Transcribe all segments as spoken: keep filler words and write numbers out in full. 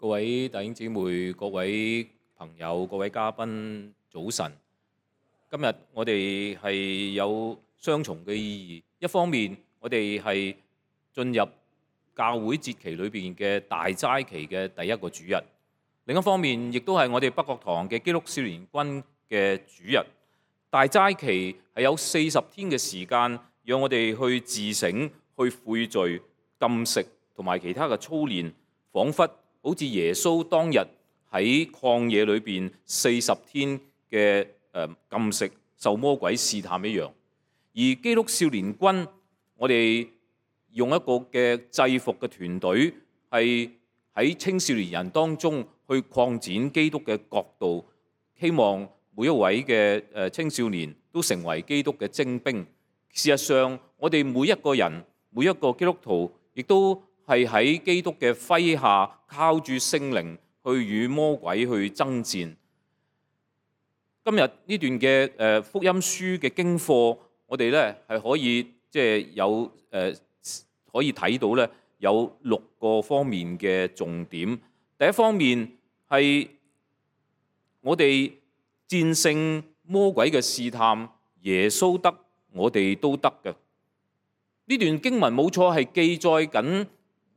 各位弟兄姊妹、各位朋友、各位嘉賓，早晨。今日我哋係有雙重嘅意義，一方面我哋係進入教會節期裏邊嘅大齋期嘅第一個主日，另一方面亦都係我哋北角堂嘅基督少年軍嘅主日。大齋期係有四十天嘅時間，讓我哋去自省、去悔罪、禁食同埋其他嘅操練，彷彿好似耶穌當日喺曠野裏邊四十天嘅誒禁食受魔鬼試探一樣。而基督少年軍，我哋用一個嘅制服嘅團隊，係喺青少年人當中去擴展基督嘅國度，希望每一位嘅誒青少年都成為基督嘅精兵。事實上，我哋每一個人、每一個基督徒，亦都係喺基督嘅麾下，靠住聖靈去與魔鬼去爭戰。今日呢段嘅誒福音書嘅經課，我哋咧係可以即係有誒可以睇到咧有六個方面嘅重點。第一方面係我哋戰勝魔鬼嘅試探，耶穌得，我哋都得嘅。呢段經文冇錯，係記載緊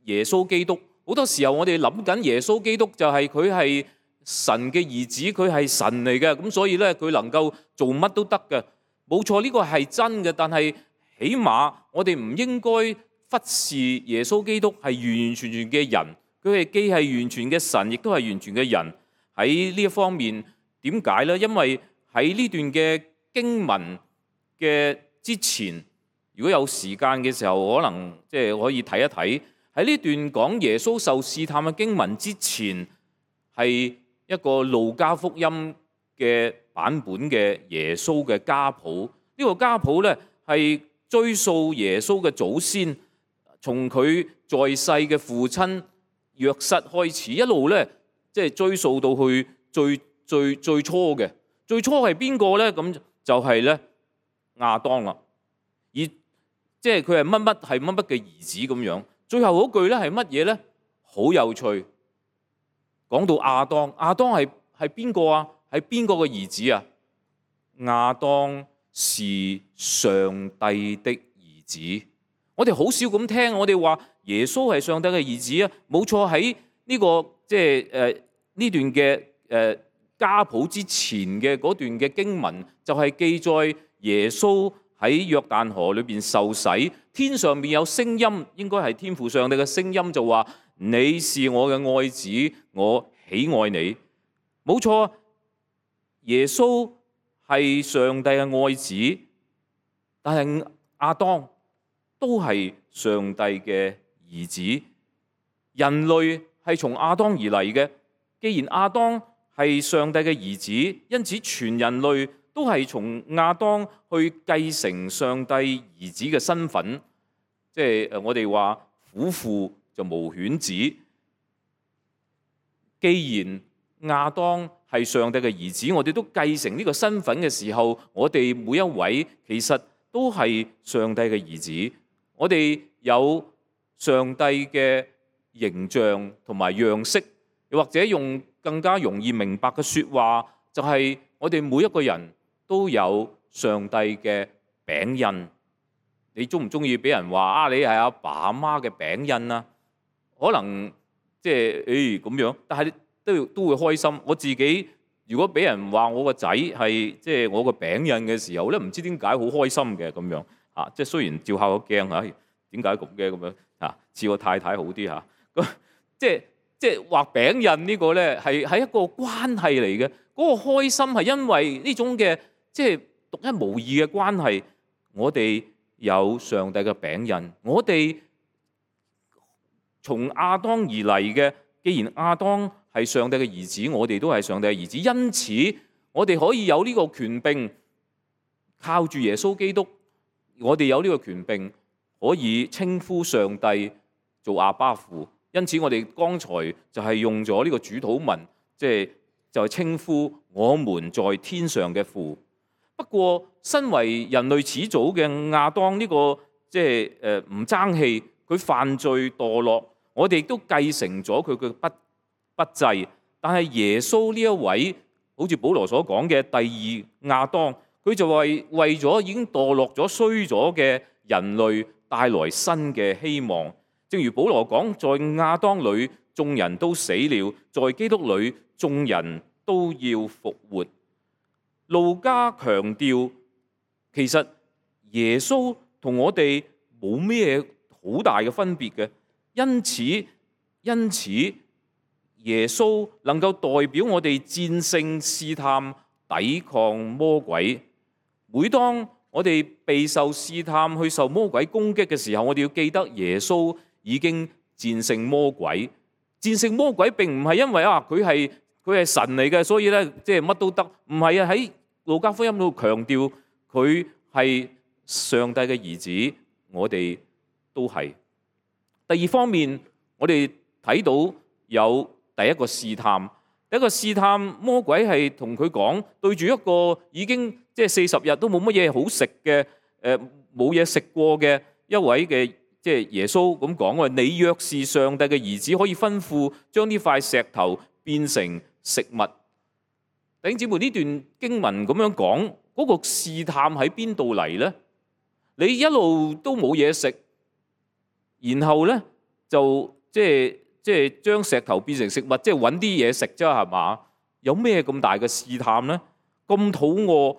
耶穌基督。好多時候我哋諗緊耶穌基督就係佢係神嘅兒子，佢係神嚟嘅，咁所以咧佢能夠做乜都得嘅。冇錯，呢個係真嘅，但係起碼我哋唔應該忽視耶穌基督係完完全全嘅人，佢係既係完全嘅神，亦都係完全嘅人。喺呢一方面，點解呢？因為喺呢段嘅經文嘅之前，如果有時間嘅時候，可能即係可以睇一睇。喺呢段講耶穌受試探嘅經文之前，係一個路加福音嘅版本嘅耶穌嘅家譜。呢個家譜咧係追溯耶穌嘅祖先，從佢在世嘅父親約瑟開始，一路咧即係追溯到去最最最初嘅。最初係邊個咧？咁就係咧亞當啦。而即係佢係乜乜係乜乜嘅兒子咁樣。最後嗰句咧係乜嘢咧？好有趣。講到亞當，亞當係係邊個啊？係邊個嘅兒子啊？亞當是上帝的兒子。我哋好少咁聽，我哋話耶穌係上帝嘅兒子啊。冇錯，喺呢個即係誒呢段嘅誒家譜之前嘅嗰段嘅經文，就係記載耶穌喺約旦河裏邊受洗，天上面有聲音，應該係天父上帝嘅聲音，就話你是我嘅愛子，我喜愛你。冇錯，耶穌係上帝嘅愛子，但係亞當都係上帝嘅兒子。人類係從亞當而嚟嘅，既然亞當係上帝嘅兒子，因此全人類都係從亞當去繼承上帝兒子嘅身份，即係誒我哋話虎父就無犬子。既然亞當係上帝嘅兒子，我哋都繼承呢個身份嘅時候，我哋每一位其實都係上帝嘅兒子。我哋有上帝嘅形象同埋樣式，又或者用更加容易明白嘅説話，就係我哋每一個人都有上帝嘅餅印。你中唔中意俾人話啊？你係阿爸阿媽嘅餅印啊？可能即係誒咁樣，但係都要都會開心。我自己如果俾人話我個仔係即係我個餅印嘅時候咧，唔知點解好開心嘅咁樣嚇。即係雖然照下個鏡嚇，點解咁嘅咁樣嚇？似我太太好啲嚇。咁即係即係畫餅印呢個咧係係一個關係嚟嘅。嗰個開心係因為呢種嘅即係獨一無二嘅關係。我哋有上帝嘅餅印，我哋從亞當而嚟嘅。既然亞當係上帝嘅兒子，我哋都係上帝嘅兒子，因此我哋可以有呢個權柄，靠住耶穌基督，我哋有呢個權柄可以稱呼上帝做阿爸父。因此我哋剛才就係用咗呢個主禱文，即係就係稱呼我們在天上嘅父。不過身為人類始祖嘅亞當呢個即係誒唔爭氣，佢犯罪墮落，我哋亦都繼承咗佢嘅不不不濟。但係耶穌呢一位，好似保羅所講嘅第二亞當，佢就為為咗已經墮落咗衰咗嘅人類帶來新嘅希望。正如保羅講，在亞當裏眾人都死了，在基督裏眾人都要復活。路加強調，其實耶穌同我哋冇咩好大嘅分別嘅，因此因此耶穌能夠代表我哋戰勝試探、抵抗魔鬼。每當我哋備受試探、去受魔鬼攻擊嘅時候，我哋要記得耶穌已經戰勝魔鬼。戰勝魔鬼並唔係因為啊佢係佢係神嚟嘅，所以咧即係乜都得。唔係啊，喺路加福音度強調佢係上帝嘅兒子，我哋都係。第二方面，我哋睇到有第一個試探，第一個試探魔鬼係同佢講，對住一個已經即係四十日都冇乜嘢好食嘅，誒冇嘢食過嘅一位嘅即係耶穌咁講話，你若是上帝嘅兒子，可以吩咐將呢塊石頭變成食物。弟兄姊妹，呢段經文咁樣講，嗰個試探喺邊度嚟呢？你一路都冇嘢食，然後呢就即係即係將石頭變成食物，即係揾啲嘢食啫，係嘛？有咩咁大嘅試探呢？咁肚餓，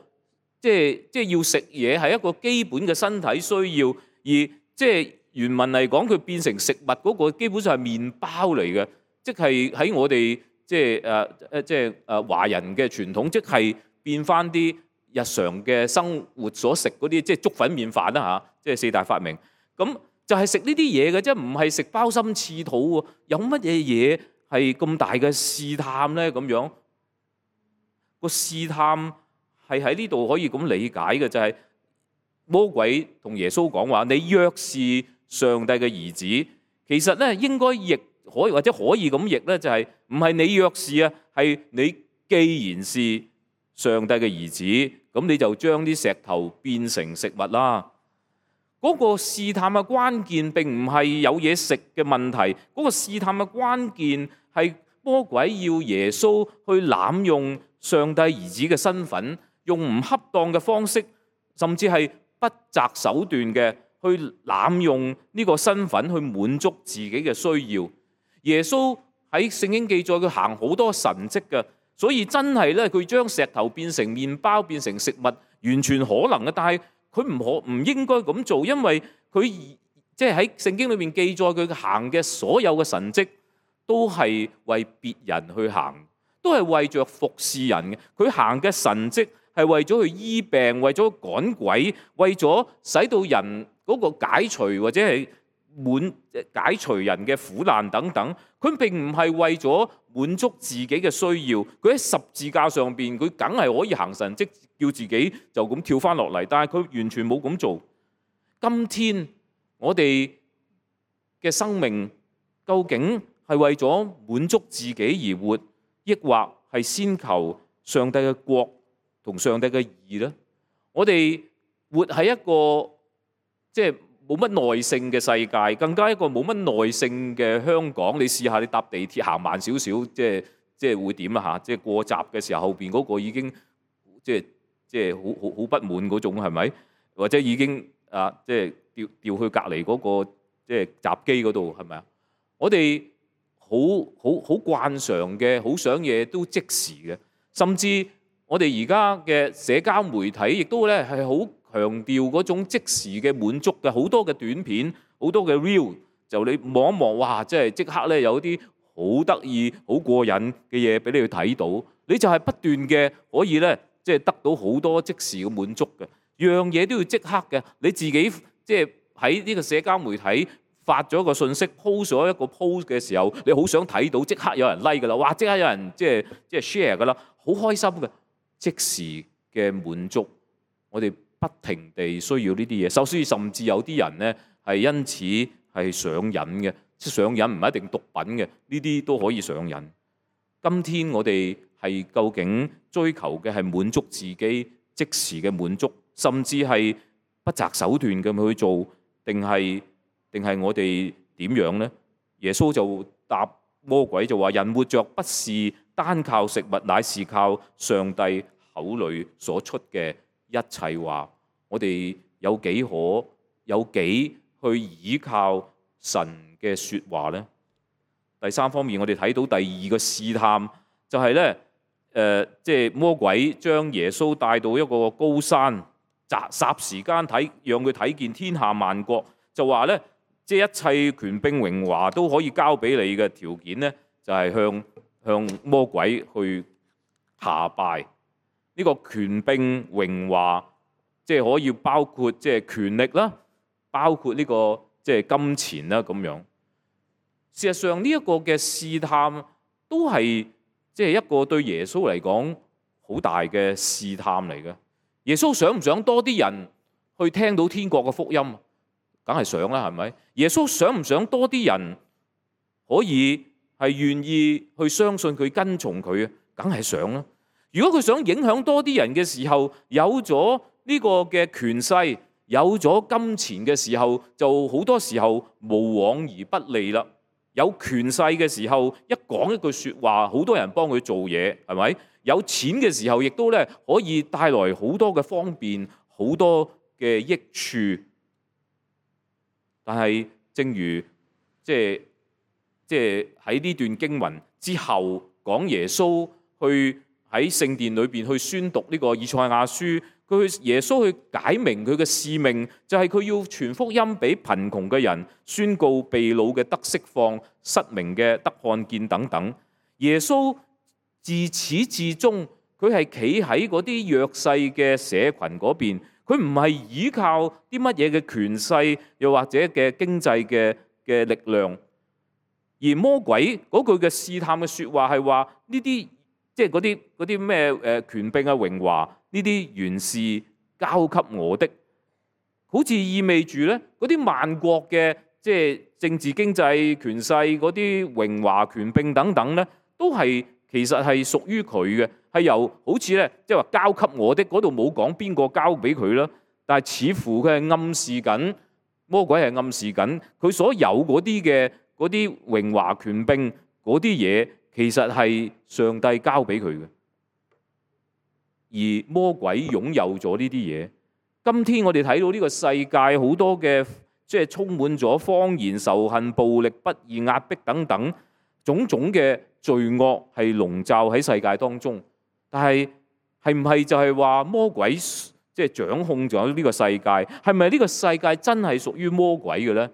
即係即係要食嘢係一個基本嘅身體需要，而即係原文嚟講，佢變成食物嗰個基本上係麵包嚟嘅，即係喺我哋即係誒誒即係誒華人嘅傳統，即係變翻啲日常嘅生活所食嗰啲，即係粥粉麵飯啦嚇，即係四大發明。咁就係食呢啲嘢嘅啫，唔係食鮑參翅肚喎。有乜嘢嘢係咁大嘅試探咧？咁樣個試探係喺呢度可以咁理解嘅，就係魔鬼同耶穌講話：你若是上帝嘅兒子，其實咧應該譯可以或者可以咁譯咧，就係唔係你若是啊，係你既然是上帝嘅兒子，咁你就將啲石頭變成食物啦。嗰個試探嘅關鍵並唔係有嘢食嘅問題，嗰個試探嘅關鍵係魔鬼要耶穌去濫用上帝兒子嘅身份，用唔恰當嘅方式，甚至係不擇手段嘅去濫用呢個身份去滿足自己嘅需要。耶穌喺聖經記載佢行好多神蹟嘅，所以真係咧佢將石頭變成麵包變成食物，完全可能嘅。但係佢唔可唔應該咁做，因為佢即係喺聖經裏面記載佢行嘅所有嘅神蹟，都係為別人去行，都係為着服侍人嘅。佢行嘅神蹟係為咗去醫病，為咗趕鬼，為咗使到人嗰個解除或者係滿解除人嘅苦難等等。佢並唔係為咗滿足自己嘅需要。佢喺十字架上邊，佢梗係可以行神蹟，叫自己就咁跳翻落嚟，但係佢完全冇咁做。今天我哋嘅生命究竟係為咗滿足自己而活，抑或係先求上帝嘅國同上帝嘅義呢？我哋活喺一個即係冇乜耐性嘅世界，更加一個冇乜耐性嘅香港。你試下你搭地鐵行慢少少，即係即係會點啊嚇？即係過閘嘅時候，後邊嗰個已經即係即係好好好不滿嗰種係咪？或者已經啊即係調調去隔離嗰個即係閘機嗰度係咪啊？我哋好好好慣常嘅，好想嘢都即時嘅，甚至我哋而家嘅社交媒體亦都咧係好強調嗰種即時嘅滿足嘅，好多嘅短片，好多嘅 reel， 就你望一望，哇！即係即刻咧有啲好得意、好過癮嘅嘢俾你去睇到，你就係不斷嘅可以咧，即係得到好多即時嘅滿足嘅，樣嘢都要即刻嘅。你自己即係喺呢個社交媒體發咗一個信息 post 咗一個 post 嘅時候，你好想睇到，即刻有人 like 噶啦，哇！即刻有人即係即係 share 噶啦，好開心嘅即時嘅滿足，我哋不停地需要呢啲嘢，所以甚至有啲人咧係因此係上癮嘅，即係上癮唔係一定毒品嘅，呢啲都可以上癮。今天我哋係究竟追求嘅係滿足自己即時嘅滿足，甚至係不擇手段咁去做，定係定係我哋點樣咧？耶穌就答魔鬼就話：人活着不是單靠食物，乃是靠上帝口裏所出嘅一切話。我哋有幾可有幾去倚靠神嘅說話呢？第三方面，我哋睇到第二個試探就係咧，誒，即係魔鬼將耶穌帶到一個高山，霎霎時間睇，讓佢睇見天下萬國，就話咧，即係一切權柄榮華都可以交俾你嘅條件咧，就係向向魔鬼去下拜。呢個權柄榮華，即係可以包括即係權力啦，包括呢個即係金錢啦咁樣。事實上呢一個嘅試探都係即係一個對耶穌嚟講好大嘅試探嚟嘅。耶穌想唔想多啲人去聽到天國嘅福音？梗係想啦，係咪？耶穌想唔想多啲人可以係願意去相信佢、跟從佢啊？梗係想啦。如果佢想影響多啲人嘅時候，有咗呢個嘅權勢，有咗金錢嘅時候，就好多時候無往而不利啦。有權勢嘅時候，一講一句説話，好多人幫佢做嘢，係咪？有錢嘅時候，亦都咧可以帶來好多嘅方便，好多嘅益處。但係，正如即係即係喺呢段經文之後，講耶穌去喺聖殿裏邊去宣讀呢個以賽亞書。佢耶穌去解明佢嘅使命，就係佢要傳福音俾貧窮嘅人，宣告被擄嘅得釋放，失明嘅得看見等等。耶穌自始至終，佢係企喺嗰啲弱勢嘅社群嗰邊，佢唔係依靠啲乜嘢嘅權勢，又或者嘅經濟嘅嘅力量。而魔鬼嗰句嘅試探嘅説話係話呢啲。即係嗰啲嗰啲咩誒權柄啊榮華呢啲原是交給我的，好似意味住咧嗰啲萬國嘅即係政治經濟權勢嗰啲榮華權柄等等咧，都係其實係屬於佢嘅，係由好似咧即係話交給我的嗰度冇講邊個交俾佢啦，但係似乎佢係暗示緊，魔鬼係暗示緊佢所有嗰啲嘅嗰啲榮華權柄嗰啲嘢。其實係上帝交俾佢嘅，而魔鬼擁有咗呢啲嘢。今天我哋睇到呢個世界好多嘅，即係充滿咗謊言、仇恨、暴力、不義、壓迫等等種種嘅罪惡係籠罩喺世界當中。但係係唔係就係話魔鬼即係掌控咗呢個世界？係咪呢個世界真係屬於魔鬼嘅咧？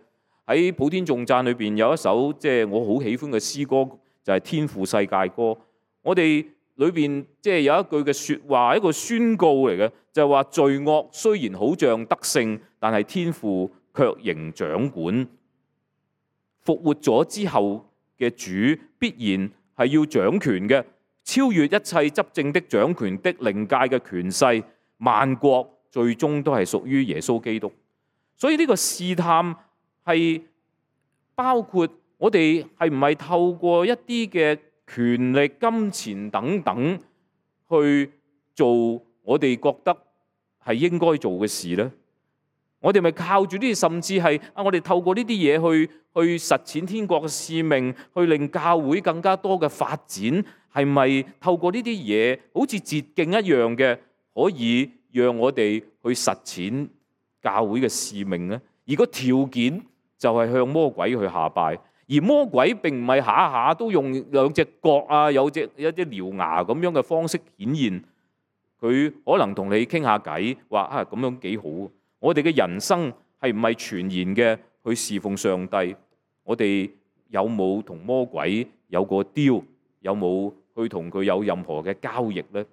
喺普天頌讚裏邊有一首即係我好喜歡嘅詩歌。就係天父世界歌，我哋裏邊即係有一句嘅説話，一個宣告嚟嘅，就係話罪惡雖然好像得勝，但係天父卻仍掌管。復活咗之後嘅主必然係要掌權嘅，超越一切執政的、掌權的、靈界嘅權勢，萬國最終都係屬於耶穌基督。所以呢個試探係包括。我哋係唔係透過一啲嘅權力、金錢等等去做我哋覺得係應該做嘅事呢？我哋咪靠住呢啲，甚至係啊，我哋透過呢啲嘢去去實踐天國嘅使命，去令教會更加多嘅發展，係咪透過呢啲嘢，好似捷徑一樣嘅，可以讓我哋去實踐教會嘅使命呢？而個條件就係向魔鬼去下拜。而魔鬼並唔係下下都用兩隻角啊，有隻有啲獠牙咁樣嘅方式顯現，佢可能同你傾下偈，話啊咁樣幾好。我哋嘅人生係唔係全然嘅去侍奉上帝？我哋有冇同魔鬼有個 deal？有冇去同佢有任何嘅交易呢？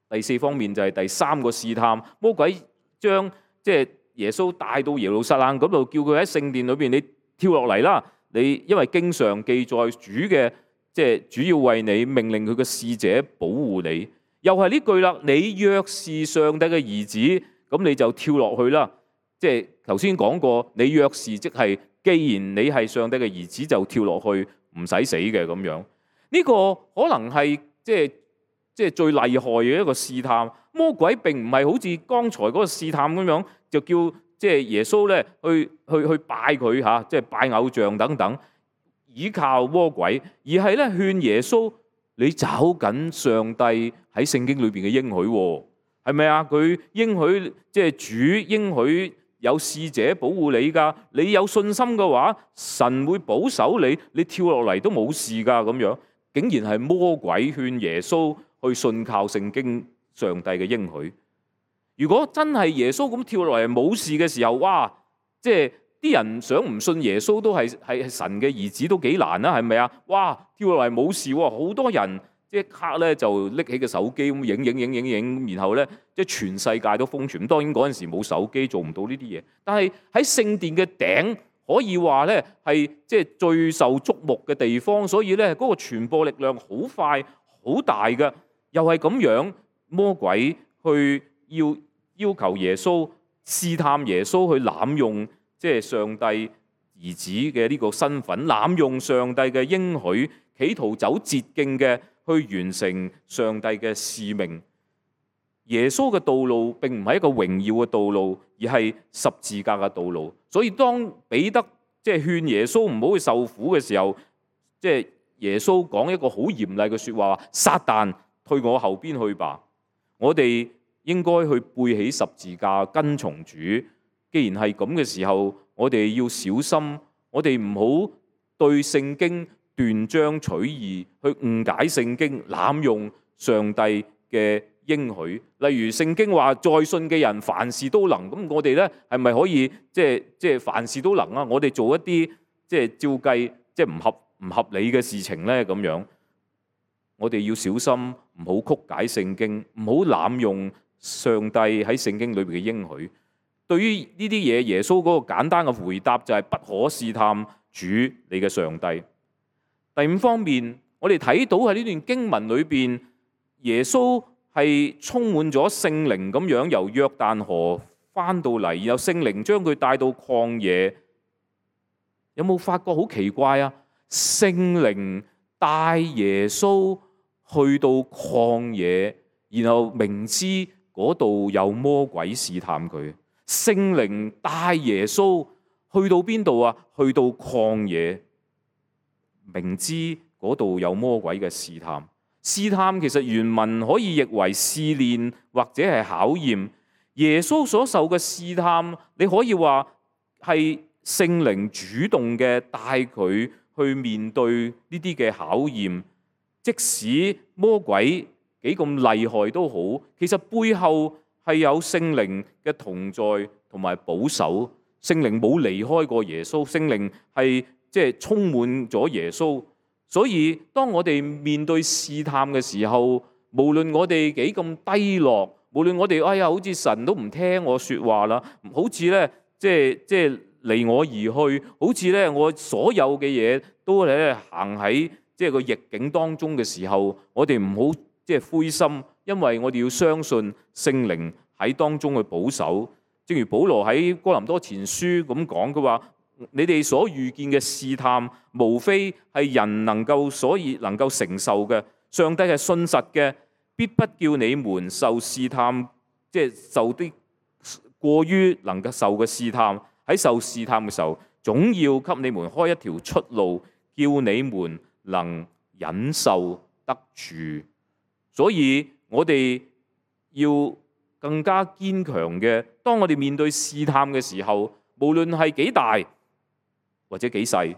第四方面就係第三個試探，魔鬼將即係耶穌帶到耶路撒冷嗰度，叫佢喺聖殿裏邊，你跳落嚟啦！你因為經常記載主嘅，即係主要為你命令佢嘅使者保護你，又係呢句啦。你若是上帝嘅兒子，咁你就跳落去啦。即係頭先講過，你若是即係，既然你係上帝嘅兒子，就跳落去，唔使死嘅咁樣。呢個可能係即係即係最厲害嘅一個試探。魔鬼並唔係好似剛才嗰個試探咁樣，就叫即係耶穌咧去去去拜佢嚇，即係拜偶像等等，而倚靠魔鬼，而係咧勸耶穌你找緊上帝喺聖經裏邊嘅應許喎，係咪啊？佢應許即係主應許有使者保護你㗎，你有信心嘅話，神會保守你，你跳落嚟都冇事㗎咁樣。竟然係魔鬼勸耶穌去信靠聖經上帝嘅應許。如果真係耶穌咁跳落嚟冇事嘅時候，哇！即係啲人想唔信耶穌都係係神嘅兒子都幾難啦，係咪啊？哇！跳落嚟冇事喎，好多人即刻咧就拎起個手機咁影影影影影，然後咧即係全世界都瘋傳。咁當然嗰陣時冇手機做唔到呢啲嘢，但係喺聖殿嘅頂可以話咧係即係最受矚目嘅地方，所以咧嗰個傳播力量好快好大嘅。又係咁樣，魔鬼去要要求耶穌試探耶穌去濫用即係上帝兒子嘅呢個身份，濫用上帝嘅應許，企圖走捷徑嘅去完成上帝嘅使命。耶穌嘅道路並唔係一個榮耀嘅道路，而係十字架嘅道路。所以當彼得即係勸耶穌唔好去受苦嘅時候，即係耶穌講一個好嚴厲嘅說話：撒旦，退我後邊去吧！我哋應該去背起十字架跟從主。既然係咁嘅時候，我哋要小心，我哋唔好對聖經斷章取義，去誤解聖經，濫用上帝嘅應許。例如聖經話在信嘅人凡事都能，咁我哋咧係咪可以即係即係凡事都能啊？我哋做一啲即係照計即係唔合唔合理嘅事情咧咁樣，我哋要小心，唔好曲解聖經，唔好濫用上帝喺聖經裏邊嘅應許。對於呢啲嘢，耶穌嗰個簡單嘅回答就係不可試探主你嘅上帝。第五方面，我哋睇到喺呢段經文裏邊，耶穌係充滿咗聖靈咁樣由約旦河翻到嚟，然後聖靈將佢帶到曠野。有冇發覺好奇怪啊？聖靈帶耶穌去到曠野，然後明知嗰度有魔鬼試探佢。聖靈帶耶穌去到邊度啊？去到曠野，明知嗰度有魔鬼嘅試探。試探其實原文可以譯為試煉或者係考驗。耶穌所受嘅試探，你可以話係聖靈主動嘅帶佢去面對呢啲嘅考驗。即使魔鬼幾咁厲害都好，其實背後係有聖靈嘅同在同埋保守。聖靈冇離開過耶穌，聖靈係即係充滿咗耶穌。所以當我哋面對試探嘅時候，無論我哋幾咁低落，無論我哋哎呀好似神都唔聽我說話啦，好似咧即係即係離我而去，好似咧我所有嘅嘢都咧行喺即係個逆境當中嘅時候，我哋唔好即係灰心，因為我哋要相信聖靈喺當中去保守。正如保羅喺哥林多前書咁講，佢話你哋所遇見嘅試探，無非係人能夠所以能夠承受嘅。上帝係信實嘅，必不叫你們受試探，即係受啲過於能夠受嘅試探。喺受試探嘅時候，總要給你們開一條出路，叫你們能忍受得住。所以我哋要更加堅強嘅，當我哋面對試探嘅時候，無論係幾大或者幾細，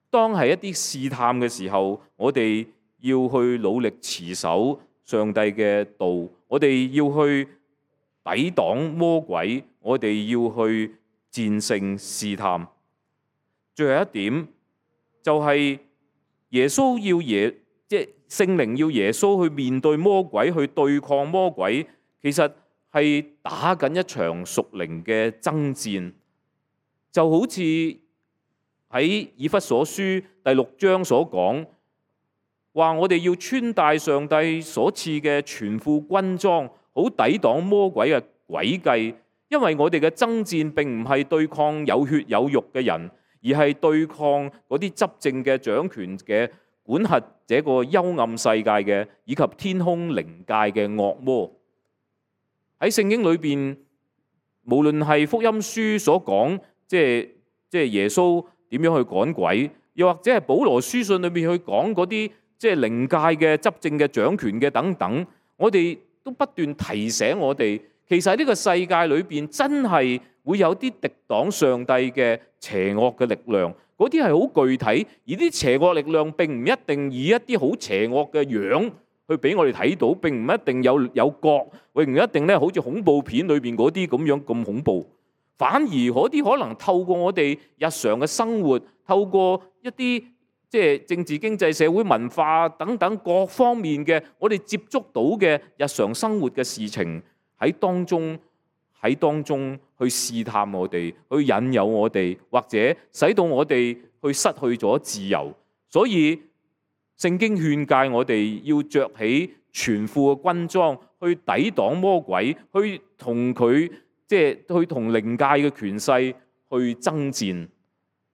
當係一啲試探嘅時候，我哋要去努力持守上帝嘅道，我哋要去抵擋魔鬼，我哋要去戰勝試探。最後一點就係耶穌要耶，即係聖靈要耶穌去面對魔鬼，去對抗魔鬼，其實係打緊一場屬靈嘅爭戰。就好似喺以弗所書第六章所講，話我哋要穿戴上帝所賜嘅全副軍裝，好抵擋魔鬼嘅詭計。因為我哋嘅爭戰並唔係對抗有血有肉嘅人，而係對抗嗰啲執政嘅掌權嘅管轄這個幽暗世界嘅，以及天空靈界嘅惡魔。喺聖經裏邊，無論係福音書所講，即係即係耶穌點樣去趕鬼，又或者係保羅書信裏面去講嗰啲即係靈界嘅執政嘅掌權嘅等等，我哋都不斷提醒我哋，其實喺呢個世界裏邊真係會有啲敵擋上帝嘅邪惡嘅力量，嗰啲係好具體，而啲邪惡力量並唔一定以一啲好邪惡嘅樣去俾我哋睇到，並唔一定有有角，並唔一定咧好似恐怖片裏邊嗰啲咁樣咁恐怖。反而嗰啲可能透過我哋日常嘅生活，透過一啲即係政治、經濟、社會、文化等等各方面嘅我哋接觸到嘅日常生活嘅事情，喺當中喺當中去試探我哋，去引誘我哋，或者使到我哋去失去咗自由。所以聖經勸誡我哋要着起全副嘅軍裝，去抵擋魔鬼，去同佢即係去同靈界嘅權勢去爭戰。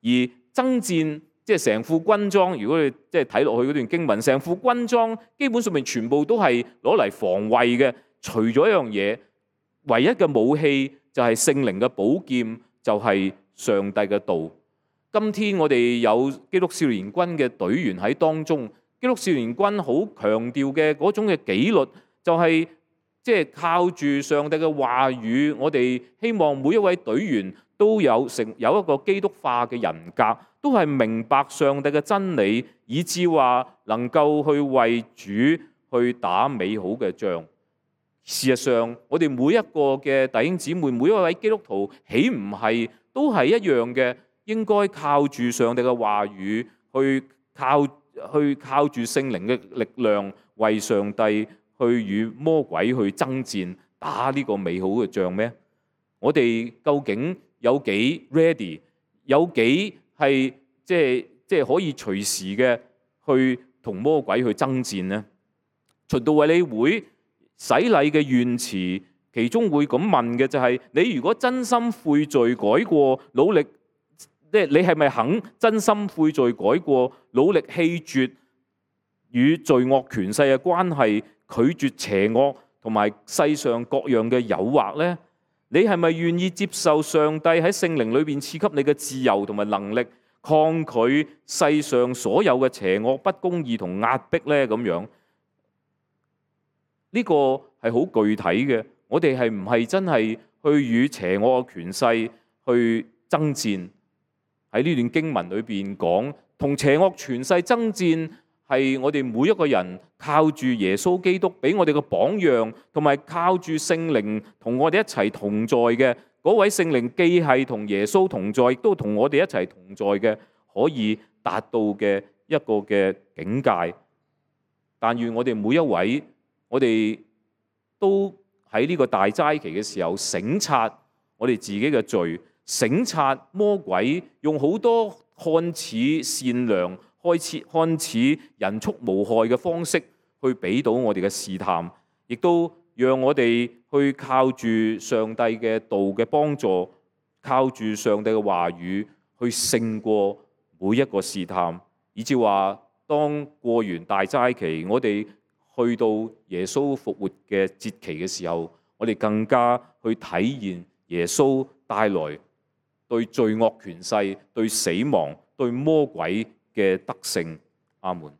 而爭戰即係成副軍裝，如果你即係睇落去嗰段經文，成副軍裝基本上面全部都係攞嚟防衛嘅，除咗一樣嘢，唯一嘅武器就係聖靈嘅寶劍，就係上帝嘅道。今天我哋有基督少年軍嘅隊員喺當中，基督少年軍好強調嘅嗰種嘅紀律，就係即係靠住上帝嘅話語。我哋希望每一位隊員都有成有一個基督化嘅人格，都係明白上帝嘅真理，以致話能夠去為主去打美好嘅仗。事實上，我哋每一個嘅弟兄姊妹，每一位基督徒，豈唔係都係一樣嘅？應該靠住上帝嘅話語，去靠去靠住聖靈嘅力量，為上帝去與魔鬼去爭戰，打呢個美好嘅仗咩？我哋究竟有幾 ready？ 有幾係即係即係可以隨時嘅去同魔鬼去爭戰呢？循道衛理會洗禮嘅願詞，其中會咁問嘅就係：你如果真心悔罪改過，努力。即係你係咪肯真心悔罪改過，努力棄絕與罪惡權勢嘅關係，拒絕邪惡同埋世上各樣嘅誘惑呢？你係咪願意接受上帝喺聖靈裏邊賜給你嘅自由同埋能力，抗拒世上所有嘅邪惡、不公義同壓迫呢？咁樣呢個係好具體嘅。我哋係唔係真係去與邪惡嘅權勢去爭戰？喺呢段經文裏邊講，同邪惡權勢爭戰係我哋每一個人靠住耶穌基督俾我哋嘅榜樣，同埋靠住聖靈同我哋一齊同在嘅嗰位聖靈，既係同耶穌同在，亦都同我哋一齊同在嘅，可以達到嘅一個嘅境界。但願我哋每一位，我哋都喺呢個大齋期嘅時候省察我哋自己嘅罪。省察魔鬼用好多看似善良、開始看似人畜無害嘅方式去俾到我哋嘅試探，亦都讓我哋去靠住上帝嘅道嘅幫助，靠住上帝嘅話語去勝過每一個試探，以至話當過完大齋期，我哋去到耶穌復活嘅節期嘅時候，我哋更加去體現耶穌帶來對罪惡權勢、對死亡、對魔鬼嘅得勝。阿門。